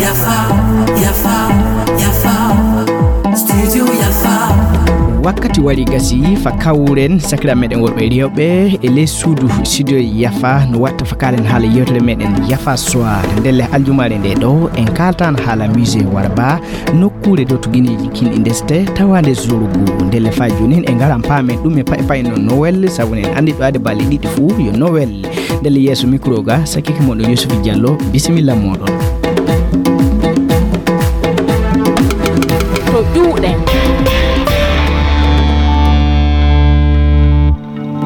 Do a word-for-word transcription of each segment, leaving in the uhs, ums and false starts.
Yafa, Yafa, Yafa, Studio Yafa. Wakkati wari gasi fa kawren sakira meɗen worɓe rewɓe e ley suudu studio Yafa no watta fa kaalen haala yewtere meɗen Yafa Soir. Ndelle aljumaare nde ɗo en kaaltan haala musée Warba, nokkuure dow to gineeji kin ɗi ndeste tawaande Zorgo. Ndelle fa joonin en ngaran paamen ɗum e pay pay no Noël, sabu en anndi ɗo ade balɗe ɗiɗi fuu yo Noël. Ndelle yeeso micro ga, sakike moɗon Youssouf Diallo, bisimilla moɗon. To ƴuuɗen.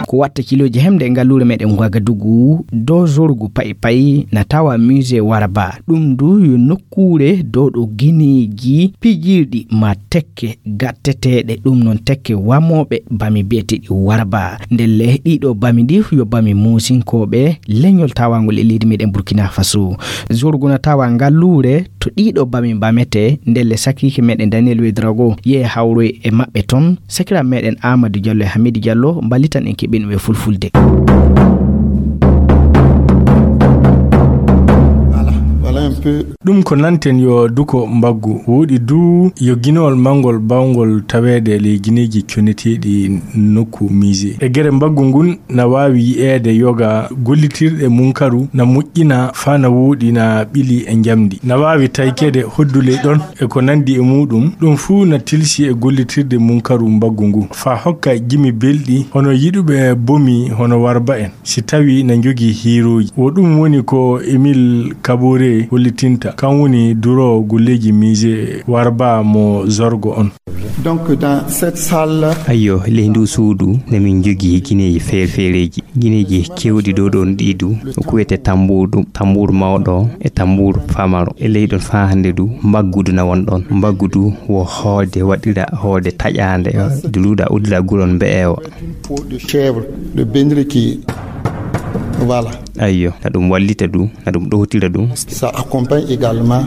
Ko watta kilooji hemde e ngalluure meɗen Ouagadougou, dow Zorgo pay pay, na tawa musée Warba. Ɗum du yo nokkuure dow ɗo gineeji pijirɗi ma tekke gatteteeɗe, ɗum noon tekke wamooɓe bami biyeteeɗi Warba. Ndelle ɗiɗo bami ɗi yo bami Muusinkooɓe, leñol tawangol e leydi meɗen Burkina Faso. Zorgo na tawa ngalluure to ɗiɗo bami mbamete, ndelle sakiike meɗen Daniel Ouédraogo yehi hawroyi e maɓɓe toon. Sakira meɗen Amadou Diallo e Hamidou Diallo mballitan en keɓen e fulfulde. Voilà, voilà un peu. Ɗum ko nanten yo duko mbaggu. Wooɗi du yo ginewol manngol bawngol taweede e ley gineeji coneteeɗi nokku musée. E gere mbaggu ngun na waawi yi'eede yoga gollitirɗe munkaru na moƴƴina faa na wooɗi na ɓili e njamndi. Na waawi taykeede hoddule ɗon e ko nanndi e muuɗum. Ɗum fuu na tilsi e gollitirde munkaru mbaggu ngu faa hokka jimi belɗi hono yiɗuɓe bomi hono Warba en. Si tawii na njogii hiirooji. Wo ɗum woni ko Émile Kabore hollitinta. Kan woni duroowo golleeji musée Warba mo Zorgo on. Donc, dans cette salle. Ayyo, ley nduu suudu, na min njogii gineeji feere-feereeji. Gineeji keewɗi ɗo ɗon ɗii du, ko wiyetee tambuur ɗum, tambuur mawɗo e tambuur famaro. E ley ɗon faa hannde du, mbaggu du na won ɗon. Mbaggu du wo hoode waɗira, hoode taƴaande, du luuɗa uddira guron mbe'eewa. Une peau de chèvre, de bendreki. Voilà. Ayyo, na ɗum wallita du, na ɗum ɗowtira du. Ça accompagne également.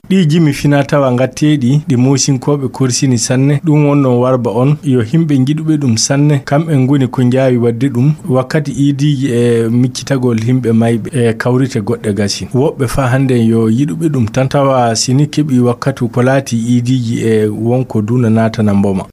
Ɗii jimi fina tawa ngatteeɗi, ɗi Moosinkooɓe korsini sanne, ɗum wonnoo Warba on, yo himɓe njiɗuɓe ɗum sanne, kamɓe ngoni ko njaawi waɗde ɗum, wakkati iidiiji e miccitagol himɓe mayɓe e kawrite goɗɗe gasi. Woɓɓe faa hannden yo yiɗuɓe ɗum tan, tawa si ni keɓii wakkatu ko laati iidiiji e wonko du na naatana mboma.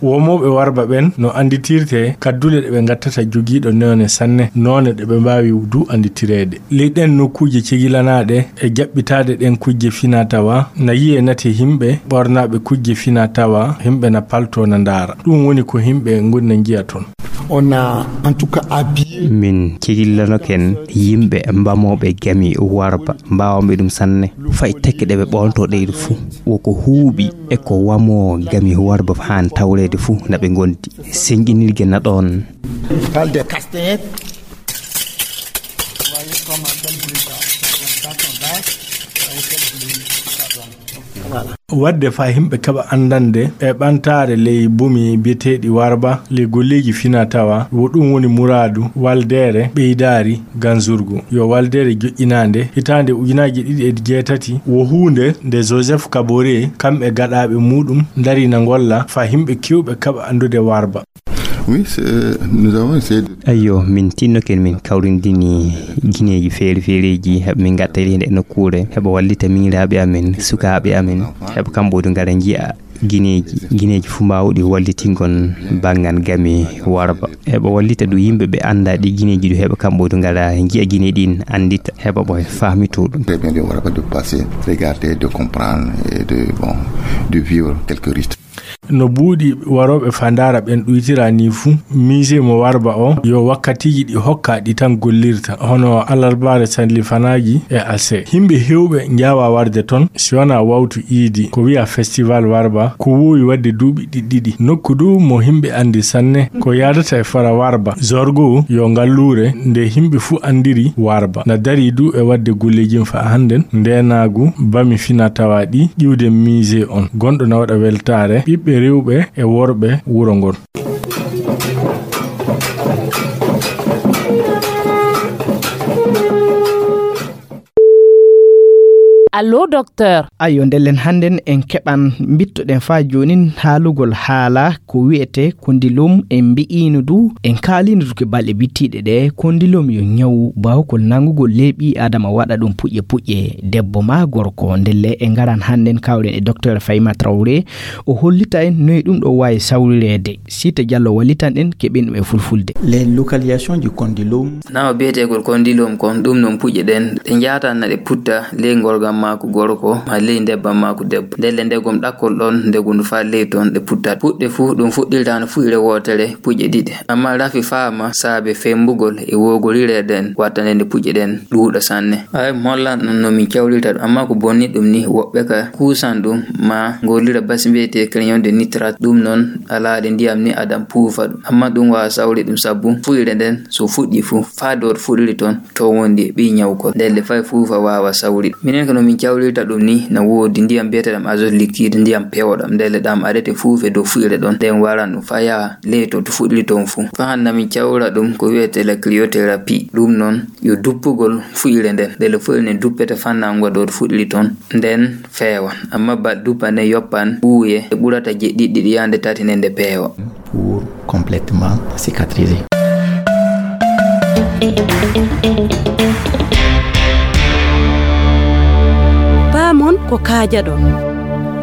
Womooɓe Warba ɓen no annditirtee kaddule ɗe ɓe ngattata jogiiɗo noone sanne, noone ɗe ɓe mbaawi du annditireede. Ley ɗen nokkuuje cegilanaaɗe e jaɓɓitaade ɗen kujje fina tawa, na yi'ee nate himɓe ɓornaaɓe kujje fina tawa, himɓe na paltoo na ndaara. Ɗum woni ko himɓe ngoni na njiya ton. On a en tout cas habillé. Min cegillanoken yimɓe mbamooɓe gami Warba, mbaawamɓe ɗum sanne. Fay tekke ɗe ɓe ɓoontoo ɗeyɗo fuu, wo ko huuɓi e ko wamoo gami Warba haan tawreede fuu na ɓe ngondi. Senjinirgel na ɗoon. Parle des castanhettes. Vous voyez comment quel bruit ça fait. Quand on danse, vous voyez quel bruit ça donne. Voilà. Waɗde faa yimɓe keɓa anndande e ɓantaare ley bomi biyeteeɗi Warba, ley golleeji fina tawa, wo ɗum woni muraadu waldeere ɓeydaari Ganzurgu. Yo waldeere joƴƴinaande hitaande ujunaaji ɗiɗi e jeetati, wo huunde nde Joseph Kabore kam e gaɗaaɓe muuɗum ndarii na ngolla faa yimɓe keewɓe keɓa anndude Warba. Oui, c'est, nous avons essayé de... Ayyo, min tinnoken min kawrindini gineeji feere-feereeji, heɓa min ngatta e nde nokkuure, heɓa wallita miñiraaɓe amen, sukaaɓe amen, heɓa kamɓe du ngara njiya gineeji, gineeji fuu mbaawɗi wallitingol banngal gami Warba. Heɓa wallita du yimɓe ɓe anndaa ɗi gineeji du, heɓa kamɓe du ngara njiya gineeji ɗin, anndita, heɓa ɓe faamitoo ɗum. Très bien, de Warba de passer, regarder, de comprendre et de, bon, de vivre quelques rites. No buuɗi warooɓe faa ndaara ɓen ɗuytira nii fu, musée mo Warba o, yo wakkatiiji ɗi hokkaa ɗi tan gollirta, hono alarbaare sallifanaaji e alse. Yimɓe heewɓe njaawaa warde ton, si wanaa wawtu iidi, ko wiyaa festival Warba, ko woowi waɗde duuɓi ɗiɗi ɗiɗi. Nokku du mo yimɓe anndi sanne, ko yaadata e fara Warba. Zorgo yo ngalluure nde yimɓe fuu anndiri Warba. Na darii du e waɗde golleeji faa hannden, ndeenaagu, bami fina tawa ɗi, ƴiwde musée on, gonɗo na waɗa weltaare ɓiɓɓe rewɓe e worɓe wuro ngon. Allo, docteur. Ayo, ndellen hannden en keɓan, mbittoɗen faa joonin haalugol haala ko wi'etee kondilum. En mbi'iino du, en kaaliino du ke balɗe bittiiɗe ɗe, kondilum yo ñawu baawkol nanngugol ley ɓii Aadama waɗa ɗum puƴƴe puƴƴe, debbo maa gorko. Ndelle en ngaran hannden kawren e docteur Fayma Traoré, o hollita en noy ɗum ɗo waawi sawrireede. Siita Jallo wallitan en keɓen ɗum e fulfulde. Les localisations du condylome. Nawa biyeteegol kondilum kon, ɗum non puƴƴe ɗen, ɗe njaatan na ɗe putta ley ngorgam maaku gorko, maa ley ndebbam maaku debbo. Ndelle ndegom ɗakkol ɗon, ndegundu faa ley ton, ɗe puttat. Puɗɗe fuu, ɗum fuɗɗirtaano fuɗɗire wootere, puƴƴe ɗiɗe. Ammaa rafi faama saabe fembugol e woogorire ɗen, watta nde nde puƴƴe ɗen ɗuuɗa sanne. Ay, mi hollan on no min cawrirta ɗum, ammaa ko bonni ɗum ni, woɓɓe ka kuusan ɗum, maa ngollira basi mbiyetee crayon de nitrate, ɗum non alaaɗe ndiyam ni adan puufa ɗum. Ammaa ɗum waawa sawri ɗum sabu fuɗɗire nden so fuɗɗii fuu, faa dow fuɗɗiri ton, to wondi e ɓii ñawkol. Ndelle fay fuufa waawa sawri ɗum. Minen ko no min cawrirta ɗum ni, na woodi ndiyam mbiyetee ɗam azote liquide, ndiyam pewɗam. Ndelle ɗam aɗete fuufe dow fuɗɗire ɗon, nden waran ɗum faa yaha ley to, to fuɗɗiri ton fuu. Faa hannde min cawra ɗum ko wi'etee la cryothérapie. Ɗum non yo duppugol fuɗɗire nden. Ndelle fuɗɗire nden duppete fannango ɗo fuɗɗiri ton, nden feewan. Ammaa baɗ duppa nden yoppan ɓuuye, e ɓurata jeɗɗi ɗiɗi yaande tati nden nde peewa. Pour complètement cicatriser. Paamon ko kaajaɗon.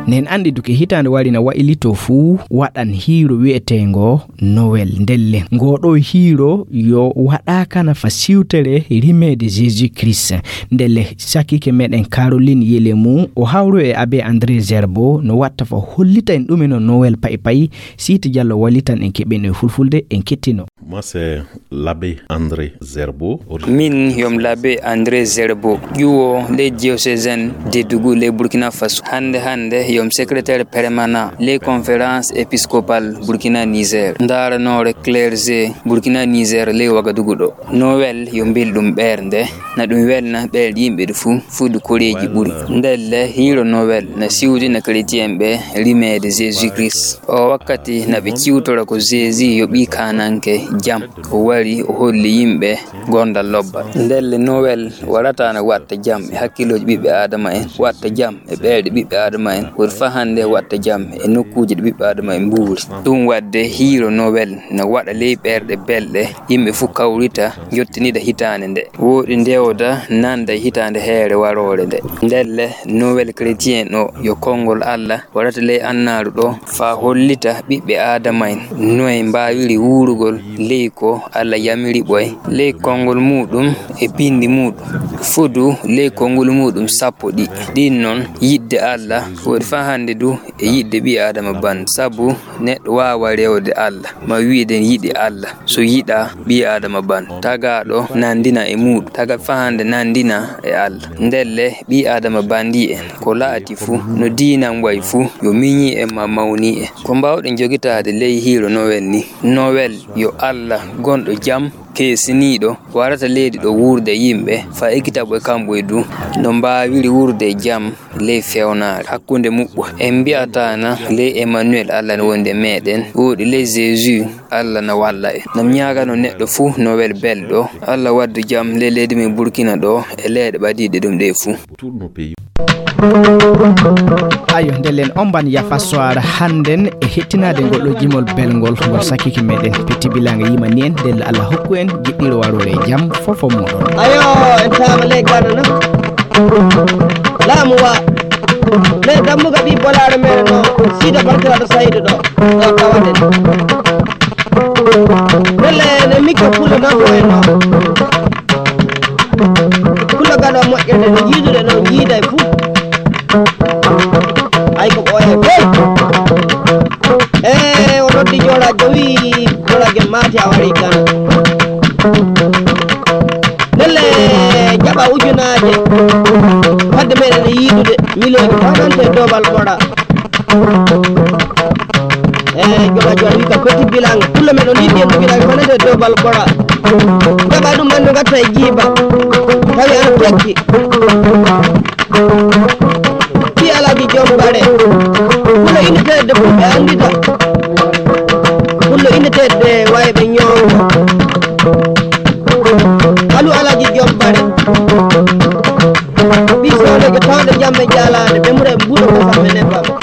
Nen anndi duke hitaande wari na waylitoo fuu waɗan hiiro wi'eteengo Noël. Ndelle, ngoo ɗoo hiiro yo waɗaaka na fa siwtere rimeede Jésus Christ. Ndelle, sakiike meɗen Caroline Yelemu, o hawru e Abbé André Zerbo, no watta fa hollita en ɗume no Noël payi payi. Siita Jallo wallitan en keɓen e fulfulde, en kettino. Moi, c'est l'abbé André Zerbo. Min yom l'abbé André Zerbo, ƴuwo le diocésain de Dougou le Burkina Faso. Hannde hannde yom secrétaire permanent le conférence épiscopale Burkina Niger. Ndaaranoore clergé Burkina Niger le Wagadugu ɗo. Noël yo mbelɗum ɓernde, na ɗum welna ɓerɗe yimɓe ɗi fuu, fuu ɗi koreeji ɓuri. Ndelle hiiro Noël na siwdina chrétien ɓe rimeede Jésus Christ. O wakkati na ɓe ciwtora ko Jésus yo ɓii kaananke jam. O wari, o holli yimɓe gondal lobbal. Ndelle Noël warata na watta jam e hakkillooji ɓiɓɓe Aadama en, watta jam e ɓerɗe ɓiɓɓe Aadama en, woni faa hannde watta jam e nokkuuje ɗe ɓiɓɓe Aadama en mbuuri. Ɗum waɗde hiiro Noël na waɗa ley ɓerɗe belɗe, yimɓe fuu kawrita, njottinida hitaande nde. Wooɗi ndewda nanda e hitaande heere waroore nde. Ndelle Noël chrétien o yo konngol Alla warata ley annaaru ɗo, faa hollita ɓiɓɓe Aadama en noye mbaawiri wuurugol ley ko Alla yamiri ɓoy, ley konngol muuɗum e binndi muuɗum. Fudu ley konngol muuɗum sappo ɗi. Ɗin non yiɗde Alla, wooɗi faa hannde du e yiɗde ɓii Aadama ban. Sabu neɗɗo waawa rewde Alla, ma wi'den yiɗi Alla, so yiɗaa ɓii Aadama ban. Tagaaɗo nandina e muuɗum, taga faa hannde nandina e Alla. Ndelle ɓii Aadama banndi en, ko la'ati fuu, no diinan wayi fuu, yo miñi en ma mawni en. Ko mbaawɗen jogitaade ley hiiro Noël ni? Noël yo Alla gonɗo jam, keesiniiɗo, warata leydi ɗo wuurde yimɓe, faa ekkita ɓoy kamɓe du, no mbaawiri wuurde e jam ley fewnaare hakkunde muɓɓo. En mbi'ataa na ley Emmanuel Alla no wondi e meɗen, wooɗi ley Jésus Alla na walla en. Nam ñaagano neɗɗo fuu Noël belɗo, Alla waddu jam ley leydi men Burkina ɗo e leyɗe ɓadiiɗe ɗum ɗe fuu. Ayo, ndellen omban yafa soir hannden e hettinaade ngol ɗo jimol belngol ngol sakiki meɗen. Petit Bilang yimani en, ndelle Allah hokku en jiɗɗiro waroore e jam fofo muɗon. Ayo, en taama ley Ghana na. Laamu wa. Ley dammuga ɓi bolaare mere no, Sida Barkiraɗo Saydu ɗo. Ɗo tawaɗen. Ndelle ne mikko pullo na ko en no. Pullo gaɗo moƴƴere no jiidude no jiiday fuu. Ay ko ɓooye dey. E o noddi joola jowi, joola gel maati a wari Ghana. Ndelle jaɓa ujunaaje. Fadde meɗen e yiidude miliyoŋ fanante doobal ɓoɗa. E jola jola wi ka Petit Bilang. Pullo meɗen yiɗi en Bilang fanante doobal ɓoɗa. Jaɓa ɗum ɓandu gatta e jiiba. Tawi ana tekki. Ki Alaaji Joom Bare. Pullo unité de fulɓe anndita. Pullo unité de wayɓe ñoongo. Alu Alaaji Joom Bare. Ɓii sooneejo tawɗo Never